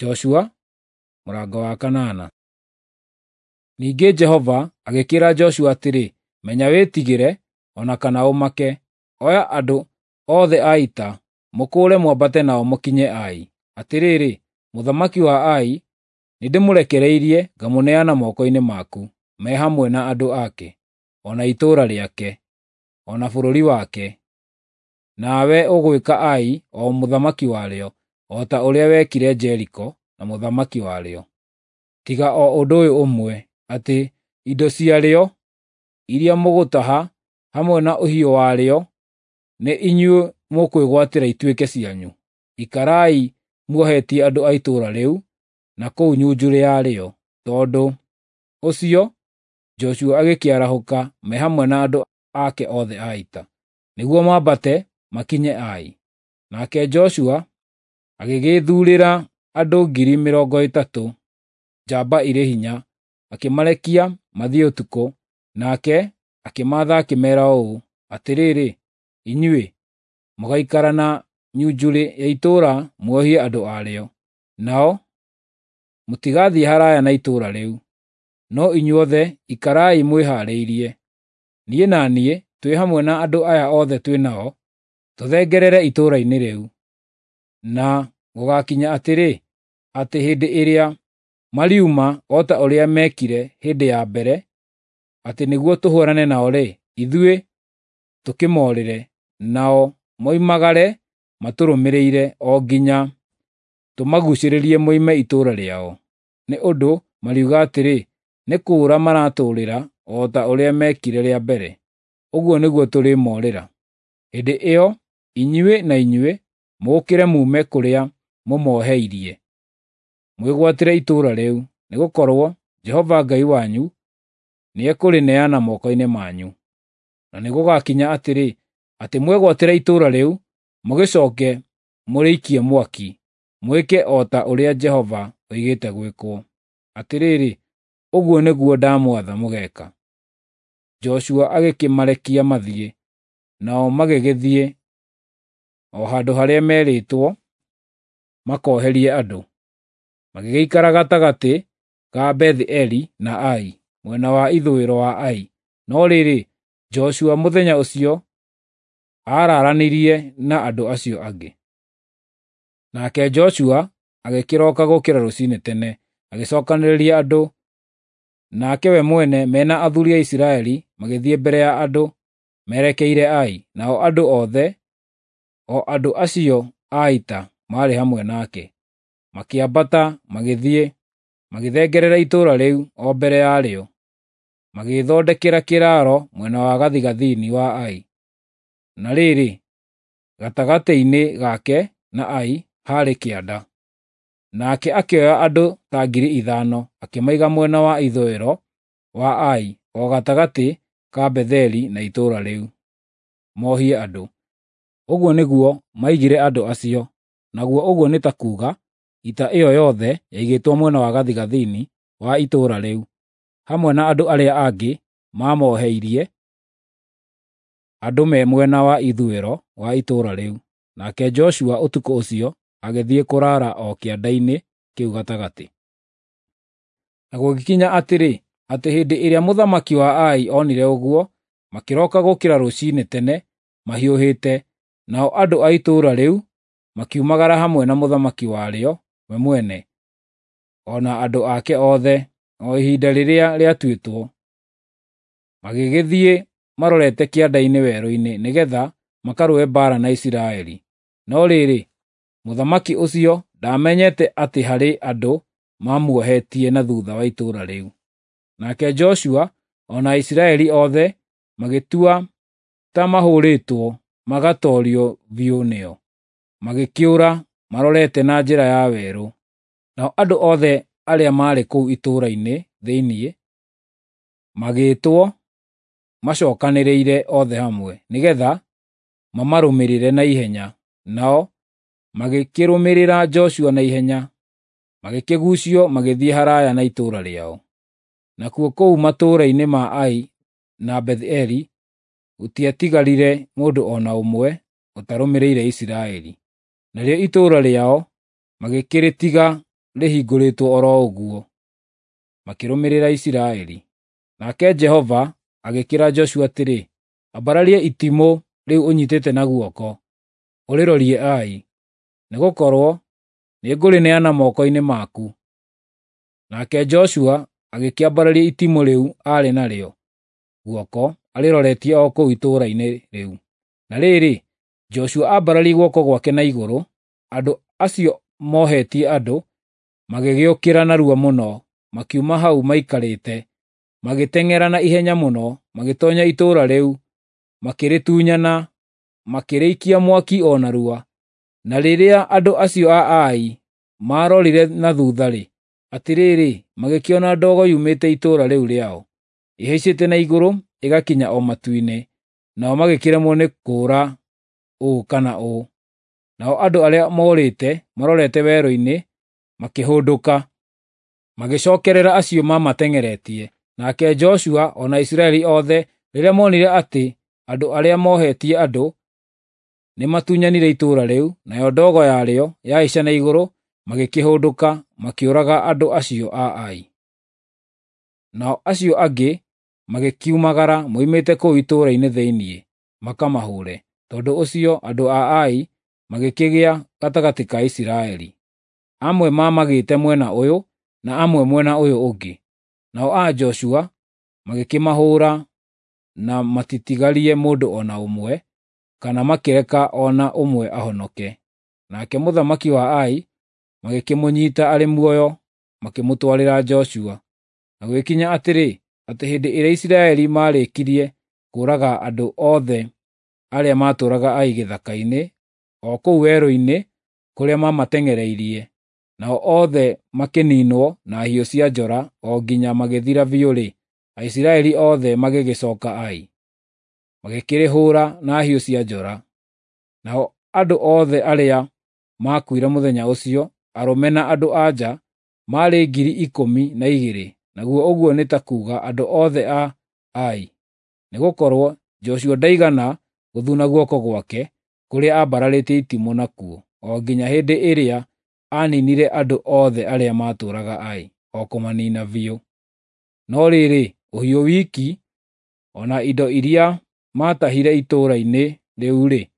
Joshua mũrango wa kanana. Ningĩ Jehova agĩkĩĩra Joshua atĩrĩ, Menya wĩtigĩre, o na kana ũmake. Oya andũ othe a ita, mũkũũre mwambate nao mũkinye Ai. Atĩrĩrĩ, mũthamaki wa Ai nĩndĩmũrekereirie ngamũneana moko-inĩ maku, me hamwe na andũ ake, o na itũũra rĩake, o na bũrũri wake. Nawe ũgwĩka Ai o mũthamaki warĩo, o ta ũrĩa wekire Jeriko na mũthamaki warĩo. Tiga o ũndũ ũyũ ũmwe, atĩ indo ciarĩo iria mũgũtaha hamwe na ũhiũ warĩo nĩ inyuĩ mũkwĩgwatĩra ituĩke cianyu. Ikarai muohetie andũ a itũũra rĩu na kũu nyunjurĩ yarĩo. Tondũ ũcio Joshua agĩkĩarahũka me hamwe na andũ ake othe a ita, nĩguo mambate makinye Ai. Nake Joshua agĩgĩĩthuurĩra andũ 30,000 njamba irĩ hinya, akĩmarekia mathiĩ ũtukũ, nake akĩmaatha akĩmeera ũũ, Atĩrĩrĩ, inyuĩ mũgaikara na nyunjurĩ ya itũũra muohie andũ arĩo, nao mũtigathiĩ haraya na itũũra rĩu. No inyuothe ikarai mwĩhaarĩirie. Niĩ na niĩ twĩ hamwe na andũ aya othe twĩ nao, tũthengerere itũũra-inĩ rĩu. Na gũgakinya atĩrĩ, atĩ hĩndĩ ĩrĩa mariuma o ta ũrĩa meekire hĩndĩ ya mbere, atĩ nĩguo tũhũũrane nao-rĩ, ithuĩ tũkĩmoorĩre, nao moimagare matũrũmĩrĩire o nginya tũmaguucĩrĩrie moime itũũra rĩao. Nĩ ũndũ mariuga atĩrĩ, nĩ kũũra maratũũrĩra o ta ũrĩa meekire rĩa mbere. Ũguo nĩguo tũrĩmoorĩra. Hĩndĩ ĩyo inyuĩ na inyuĩ mũũkĩre muume kũrĩa mũmoheirie, mwĩgwatĩre itũũra rĩu, nĩgũkorwo Jehova Ngai wanyu nĩekũrĩneana moko-inĩ manyu. Na nĩgũgakinya atĩrĩ, atĩ mwegwatĩra itũũra rĩu, mũgĩcooke mũrĩikie mwaki, mwĩke o ta ũrĩa Jehova oigĩte gwĩkwo. Atĩrĩrĩ, ũguo nĩguo ndamwatha mũgeeka. Joshua agĩkĩmarekia mathiĩ, nao magĩgĩthiĩ o handũ harĩa meerĩtwo makoherie andũ. Magĩgĩikara gatagatĩ ka Beth-eli na Ai, mwena wa ithũĩro wa Ai. No rĩrĩ, Joshua mũthenya ũcio aararanirie na andũ acio angĩ. Nake Joshua agĩkĩroka gũkĩra rũcinĩ tene, agĩcookanĩrĩria andũ, nake we mwene me na athuuri a Isiraeli magĩthiĩ mbere ya andũ merekeire Ai, nao andũ othe, o andũ acio a ita, maarĩ hamwe nake. Makĩambata magĩthiĩ, magĩthengerera itũũra rĩu o mbere yarĩo, magĩĩthondekera kĩraaro mwena wa gathigathini wa Ai. Na rĩrĩ, gatagatĩ-inĩ gake na Ai haarĩ kĩanda. Nake akĩoya andũ ta 5,000 akĩmaiga mwena wa ithũĩro wa Ai o gatagatĩ ka Betheli na itũũra rĩu, mohie andũ. Ũguo nĩguo maigire andũ acio, naguo ũguo nĩ ta kuuga ita ĩyo yothe yaigĩtwo mwena wa gathigathini wa itũũra rĩu, hamwe na andũ arĩa angĩ maamoheirie andũ me mwena wa ithũĩro wa itũũra rĩu. Nake Joshua ũtukũ ũcio agĩthiĩ kũraara o kĩanda-inĩ kĩu gatagatĩ. Na gũgĩkinya atĩrĩ, atĩ hĩndĩ ĩrĩa mũthamaki wa Ai onire ũguo, makĩroka gũkĩra rũcinĩ tene mahiũhĩte, nao andũ a itũũra rĩu makiumagara hamwe na mũthamaki warĩo we mwene, o na andũ ake othe, o ihinda rĩrĩa rĩatuĩtwo. Magĩgĩthiĩ marorete kĩanda-inĩ werũ-inĩ nĩgeetha makarũe mbaara na Isiraeli. No rĩrĩ, mũthamaki ũcio ndaamenyete atĩ harĩ andũ maamuohetie na thuutha wa itũũra rĩu. Nake Joshua o na Isiraeli othe magĩtua ta mahũũrĩtwo magatoorio biũ nĩo, magĩkĩũra marorete na njĩra ya werũ. Nao andũ othe arĩa maarĩ kũu itũũra-inĩ thĩinĩ magĩĩtwo macookanĩrĩire othe hamwe, nĩgeetha mamarũmĩrĩre na ihenya. Nao magĩkĩrũmĩrĩra Joshua na ihenya, magĩkĩguucio magĩthiĩ haraaya na itũũra rĩao. Nakuo kũu matũũra-inĩ ma Ai na Beth-eli gũtiatigarire mũndũ o na ũmwe ũtarũmĩrĩire Isiraeli. Narĩo itũũra rĩao magĩkĩrĩtiga rĩhingũrĩtwo o ro ũguo, makĩrũmĩrĩra Isiraeli. Nake Jehova agĩkĩĩra Joshua atĩrĩ, "Ambararia itimũ rĩu ũnyitĩte na guoko, ũrĩrorie Ai, nĩgũkorwo nĩngũrĩneana moko-inĩ maku." Nake Joshua agĩkĩambararia itimũ rĩu aarĩ narĩo guoko arĩroretie o kũu itũũra-inĩ rĩu. Na rĩrĩ, Joshua aambararia guoko gwake na igũrũ, andũ acio mohetie andũ magĩgĩũkĩra narua mũno, makiuma hau maikarĩte, magĩteng'era na ihenya mũno, magĩtoonya itũũra rĩu, makĩrĩtunyana, makĩrĩikia mwaki o narua. Na rĩrĩa andũ acio a Ai maarorire na thutha-rĩ, atĩrĩrĩ, magĩkĩona ndogo yumĩte itũũra rĩu rĩao, ĩhaicĩte na igũrũ ĩgakinya o matu-inĩ, nao magĩkĩremwo nĩ kũũra ũũ kana ũũ. Nao andũ arĩa moorĩte marorete werũ-inĩ makĩhũndũka, magĩcookerera acio maamateng'eretie. Nake Joshua o na Isiraeli othe rĩrĩa monire atĩ andũ arĩa mohetie andũ nĩmatunyanire itũũra rĩu, nayo ndogo yarĩo yahaica na igũrũ, magĩkĩhũndũka, makĩũraga andũ acio a Ai. Nao acio angĩ magĩkiumagara moimĩte kũu itũũra-inĩ thĩinĩ, makamahũre. Tondũ ũcio andũ a Ai magĩkĩgĩa gatagatĩ ka Isiraeli. Amwe maamagĩte mwena ũyũ na amwe mwena ũyũ ũngĩ. Nao a Joshua magĩkĩmahũũra na matitigarie mũndũ o na ũmwe, kana makĩreka o na ũmwe ahonoke. Nake mũthamaki wa Ai magĩkĩmũnyiita arĩ muoyo, makĩmũtwarĩra Joshua. Na gũgĩkinya atĩrĩ, atĩ hĩndĩ ĩrĩa Isiraeli maarĩkirie kũũraga andũ othe arĩa maatũũraga Ai gĩthaka-inĩ, o kũu werũ-inĩ kũrĩa maamateng'ereirie, nao othe makĩniinwo na hiũ cia njora o nginya magĩthira biũ-rĩ, Aisiraeli othe magĩgĩcooka Ai, magĩkĩrĩhũũra na hiũ cia njora. Nao andũ othe arĩa maakuire mũthenya ũcio, arũme na andũ-a-nja, maarĩ 12,000, naguo ũguo nĩ ta kuuga andũ othe a Ai. Nĩgũkorwo Joshua ndaigana gũthuna guoko gwake kũrĩa aambararĩtie itimũ nakuo, o nginya hĩndĩ ĩrĩa aaniinire andũ othe arĩa maatũũraga Ai, o kũmaniina biũ. No rĩrĩ, ũhiũ wiki, o na indo iria maatahire itũũra-inĩ rĩu-rĩ,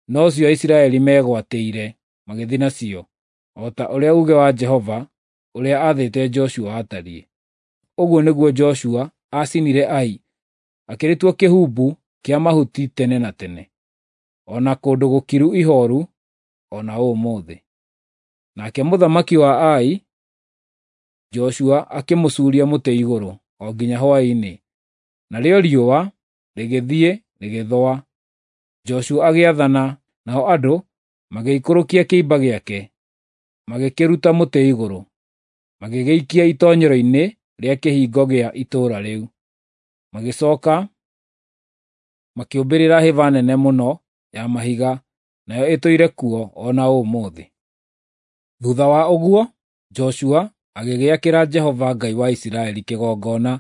nocio Aisiraeli meegwatĩire magĩthiĩ nacio, o ta ũrĩa uuge wa Jehova ũrĩa aathĩte Joshua watariĩ. Ũguo nĩguo Joshua aacinire Ai, akĩrĩtua kĩhumbu kĩa mahuti tene na tene, o na kũndũ gũkiru ihooru o na ũmũthĩ. Nake mũthamaki wa Ai, Joshua akĩmũcuuria mũtĩ igũrũ o nginya hwaĩ-inĩ, narĩo riũa rĩgĩthiĩ rĩgĩthũa. Joshua agĩathana, nao andũ magĩikũrũkia kĩimba gĩake, magĩkĩruta mũtĩ igũrũ, magĩgĩikia itoonyero-inĩ rĩa kĩhingo gĩa itũũra rĩu. Magĩcooka makĩũmbĩrĩra hĩba nene mũno ya mahiga, nayo ĩtũire kuo o na ũmũthĩ. Thuutha wa ũguo, Joshua agĩgĩakĩra Jehova Ngai wa Isiraeli kĩgongona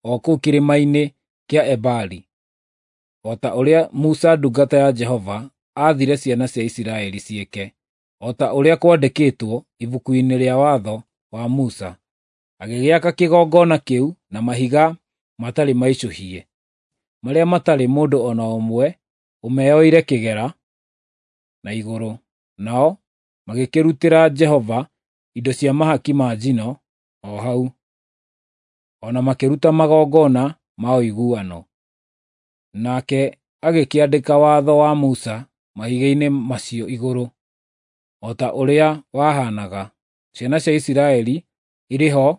o kũu kĩrĩma-inĩ kĩa Ebali, o ta ũrĩa Musa ndungata ya Jehova aathire ciana cia Isiraeli ciĩke, o ta ũrĩa kwandĩkĩtwo ibuku-inĩ rĩa watho wa Musa. Agĩgĩaka kĩgongona kĩu na mahiga matarĩ maicũhie, marĩa matarĩ mũndũ o na ũmwe ũmeoire kĩgera na igũrũ. Nao magĩkĩrutĩra Jehova indo cia mahaki ma njino o hau, o na makĩruta magongona ma ũiguano. Nake agĩkĩandĩka watho wa Musa mahiga-inĩ macio igũrũ, o ta ũrĩa wahaanaga, ciana cia Isiraeli irĩ ho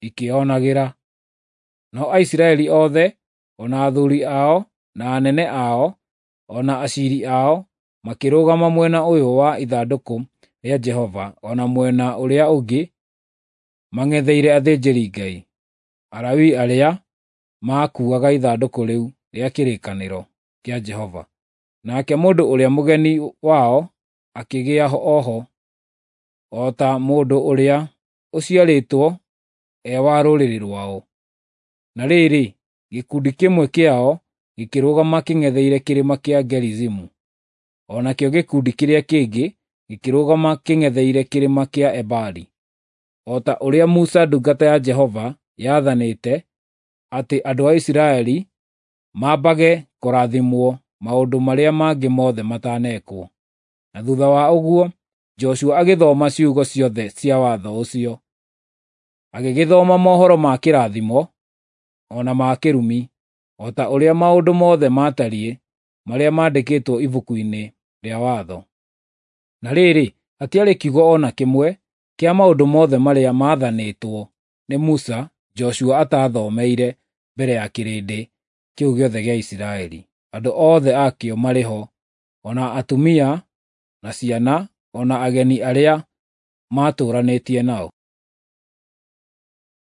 ikĩonagĩra. Nao Aisiraeli othe, o na athuuri ao, na anene ao, o na aciiri ao, makĩrũgama mwena ũyũ wa ithandũkũ rĩa Jehova o na mwena ũrĩa ũngĩ mang'etheire athĩnjĩri-Ngai, Alawii arĩa maakuuaga ithandũkũ rĩu rĩa kĩrĩkanĩro kĩa Jehova. Nake mũndũ ũrĩa mũgeni wao akĩgĩa o ho, o ta mũndũ ũrĩa ũciarĩtwo e wa rũrĩrĩ rwao. Na rĩrĩ, gĩkundi kĩmwe kĩao gĩkĩrũgama kĩng'etheire kĩrĩma kĩa Gerizimu, o nakĩo gĩkundi kĩrĩa kĩngĩ gĩkĩrũgama kĩng'etheire kĩrĩma kĩa Ebali. o ta ũrĩa Musa ndungata ya Jehova yaathanĩte, atĩ andũ a Isiraeli mambage kũrathimwo maũndũ marĩa mangĩ mothe matanekwo. Na thutha wa ũguo Joshua agĩthoma ciugo ciothe cia watho ũcio. Agĩgĩthoma mohoro ma kĩrathimo o na ma kĩrumi, o ta ũrĩa maũndũ mothe maatariĩ marĩa maandĩkĩtwo ibuku-inĩ rĩa watho. Na rĩrĩ, hatiarĩ kiugo o na kĩmwe kĩa maũndũ mothe marĩa maathanĩtwo nĩ Musa Joshua ataathomeire mbere ya kĩrĩndĩ kĩu gĩothe gĩa Isiraeli, andũ othe akĩo marĩ ho, o na atumia na ciana, o na ageni arĩa maatũũranĩtie nao.